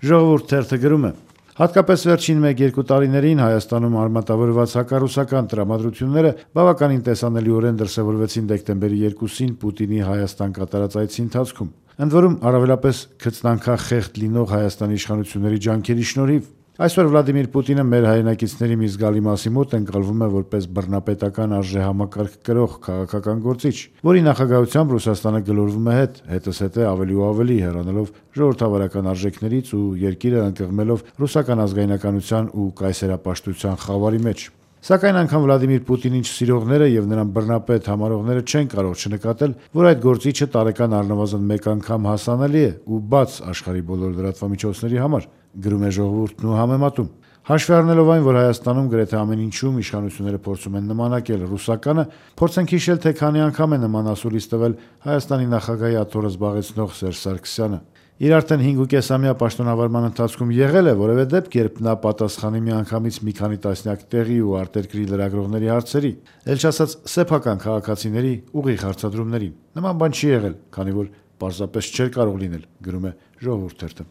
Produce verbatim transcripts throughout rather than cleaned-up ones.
Ժողովուրդ թերթը գրում է. հատկապես վերջին մեկ-երկու տարիներին Հայաստանում արմատավորված հակառուսական տրամադրությունները բավականին տեսանելիորեն դրսևորվեցին դեկտեմբերի երկուսին Պուտինի Հայաստան կատարած այցի ընթացքում, ընդ որում առավելապես քծնանքախեղդ լինող Հայաստանի իշխանությունների ջանքերի շնորհիվ։ Այսօր Վլադիմիր Պուտինը մեր հայրենակիցների մի զգալի մասի մոտ ընկալվում է որպես բռնապետական արժեհամակարգ կրող քաղաքական գործիչ, որի նախագահությամբ Ռուսաստանը գլորվում է հետ, հետզհետե ավելի ու ավելի հեռանալով ժողովրդավարական արժեքներից ու երկիրը ընկղմելով ռուսական ազգայնականության ու կայսերապաշտության խավարի մեջ։ Սակայն անգամ Վլադիմիր Պուտինին չսիրողները եւ նրան բռնապետ համարողները չեն կարող չնկատել, որ այդ գործիչը տարեկան առնվազն մեկ անգամ հասանելի է ու բաց աշխարհի բոլոր լրատվամիջոցների համար, գրում է Ժողովուրդն ու համեմատում։ Հաշվի առնելով այն, որ Հայաստանում գրեթե ամեն ինչում իշխանությունները փորձում են նմանակել ռուսականը, փորձենք հիշել, թե քանի անգամ է նման ասուլիս տվել Հայաստանի նախագահի աթոռը զբաղեցնող Սերժ Սարգսյանը։ Իր արդեն հինգուկեսամյա պաշտոնավարման ընթացքում եղել է որևէ դեպք, երբ նա պատասխանի միանգամից մի քանի տասնյակ տեղի ու արտերկրի լրագրողների հարցերի, էլ չասած սեփական քաղաքացիների ուղիղ հարցադրումներին։ Նման բան չի եղել, քանի որ պարզապես չէր կարող լինել, գրում է Ժողովուրդ թերթը։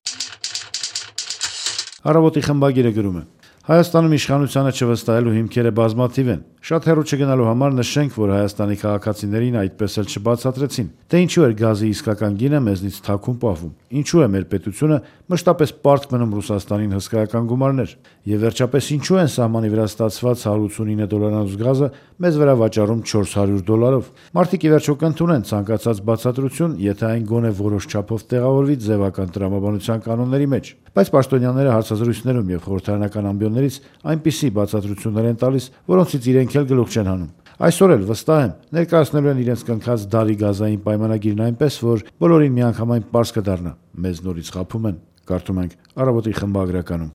Առավոտի խմբագիրը գրում է. Հայաստանում իշխանությանը չվստահելու հիմքերը բազմաթիվ են։ Շատ հեռու չգնալու համար նշենք, որ Հայաստանի քաղաքացիներին այդպես էլ չբացատրեցին, թե ինչու էր գազի իսկական գինը մեզնից թաքուն պահվում, ինչու է մեր պետությունը մշտապես պարտք մնում Ռուսաստանին հսկայական գումարներ, եւ վերջապես ինչու են սահմանի վրա ստացված հարյուր ութսունինը դոլարանոց գազը մեզ վրա վաճառում չորս հարյուր դոլարով։ Մարդիկ ի վերջո կընդունեն ցանկացած բացատրություն, եթե այն գոնե որոշ չափով տեղավորվի ձևական տրամաբանության կանոնների մեջ, բայց պաշտոնյաները հարցազրույցներում եւ խորհրդարանական ամբիոններից այնպիսի բացատրություններ են տալիս, որոնցից իրենք էլ գլուխ չեն հանում։ Այսօր էլ վստահ եմ, ներկայացնելու են իրենց կնքած դարի գազային պայմանագիրն այնպես, որ բոլորին միանգամայն պարզ կդառնա, մեզ նորից խաբում են, կարդում ենք Առավոտի խմբագրականում։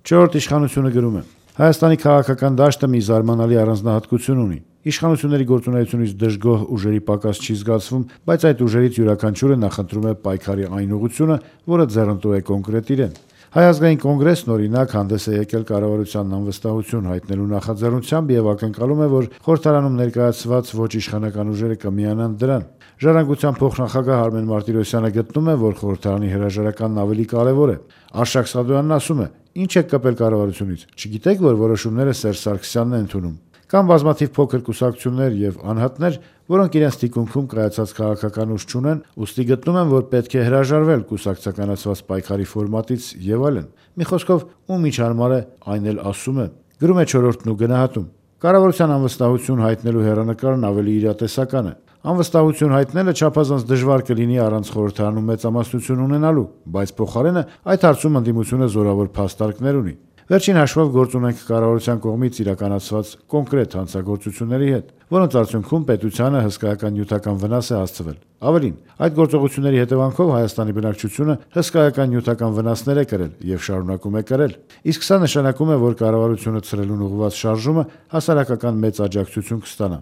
Չորրորդ իշխանությունը գրում է. Հայաստանի քաղաքական դաշտը մի զարմանալի առանձնահատկություն ունի։ Իշխանությունների գործունեությունից դժգոհ ուժերի պակաս չի զգացվում, բայց այդ ուժերից յուրաքանչյուրը նախընտրում է պայքարի այն ուղղությունը, որը ձեռնտու է կոնկրետ իրեն։ Հայ ազգային կոնգրեսն օրինակ հանդես է եկել կառավարությանն անվստահություն հայտնելու նախաձեռնությամբ եւ ակնկալում է, որ խորհրդարանում ներկայացված ոչ իշխանական ուժերը կմիանան դրան։ Ժառանգության փոխնախագահ Արմեն Մարտիրոսյանը գտնում է, որ խորհրդարանի հրաժարականն ավելի կարևոր է։ Արշակ Սադոյանն ասում է. «Ինչ եք կպել կառավարությունից։ Չգիտեք, որ որոշումները Սերժ Սարգսյանն է ընդունում»։ Կան բազմաթիվ փոքր կուսակցություններ եւ անհատներ, որոնք իրենց թիկունքում կայացած քաղաքական ուժ չունեն, ուստի գտնում են, որ պետք է հրաժարվել կուսակցականացված պայքարի ֆորմատից եւ այլն։ Մի խոսքով, ում ինչ հարմար է, այն էլ ասում է, գրում է Չորրորդն ու գնահատում։ Կառավարության անվստահություն հայտնելու հեռանկարն ավելի իրատեսական է։ Անվստահություն հայտնելը չափազանց դժվար կլինի առանց խորհրդարանում մեծամասնություն ունենալու, բայց փոխարենը այդ հարցում ընդդիմությունը զորավոր փաստարկներ ունի։ Վերջին հաշվով գործ ունենք կառավարության կողմից իրականացված կոնկրետ հանցագործությունների հետ, որոնց արդյունքում պետությանը հսկայական նյութական վնաս է հասցվել։ Ավելին, այդ գործողությունների հետևանքով Հայաստանի բնակչությունը հսկայական նյութական վնասներ է կրել եւ շարունակում է կրել։ Իսկ սա նշանակում է, որ կառավարությունը ցրելուն ուղղված շարժումը հասարակական մեծ աջակցություն կստանա։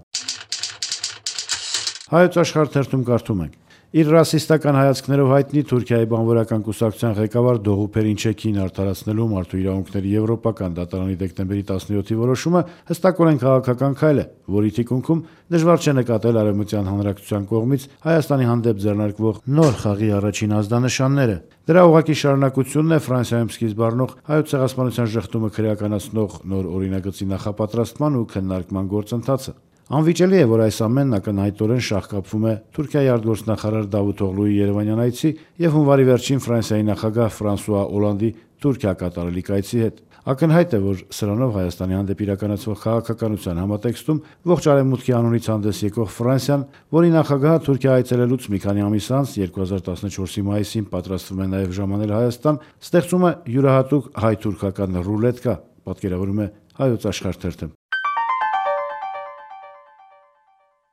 Հայոց Աշխարհ թերթում կարդում ենք. Իր ռասիստական հայացքներով հայտնի Թուրքիայի բանվորական կուսակցության ղեկավար Դողու Փերինչեքին արդարացնելու մարդու իրավունքների եվրոպական դատարանի դեկտեմբերի տասնյոթի որոշումը հստակորեն քաղաքական քայլ է, որի թիկունքում դժվար չէ նկատել Արևմտյան հանրակցության կողմից Հայաստանի հանդեպ ձեռնարկվող նոր խաղի առաջին ազդանշանները։ Դրա ուղղակի շարունակությունն է Ֆրանսիայում սկիզբ առնող հայոց ցեղասպանության ժխտումը քրեականացնող նոր օրինագծի նախապատրաստման ու քննարկման գործընթացը։ Անվիճելի է, որ այս ամենն ակնհայտորեն շահկապվում է Թուրքիայի արտգործնախարար Դավութ Օղլուի Երևանյան այցի եւ հունվարի վերջին Ֆրանսիայի նախագահ Ֆրանսուଆ Օլանդի Թուրքիա կատարելիք այցի հետ։ Ակնհայտ է, որ սրանով Հայաստանի հանդեպ իրականացվող քաղաքականության համատեքստում ողջ արևմուտքի անունից հանդես եկող Ֆրանսիան, որի նախագահը Թուրքիա այցելելուց մի քանի ամիս անց երկու հազար տասնչորսի մայիսին պատրաստվում է նաեւ ժամանել Հայաստան, ստեղծում է յուրահատուկ հայ-թուրքական ռուլետկա, պատկերավորում է Հայոց Աշխարհ թերթը։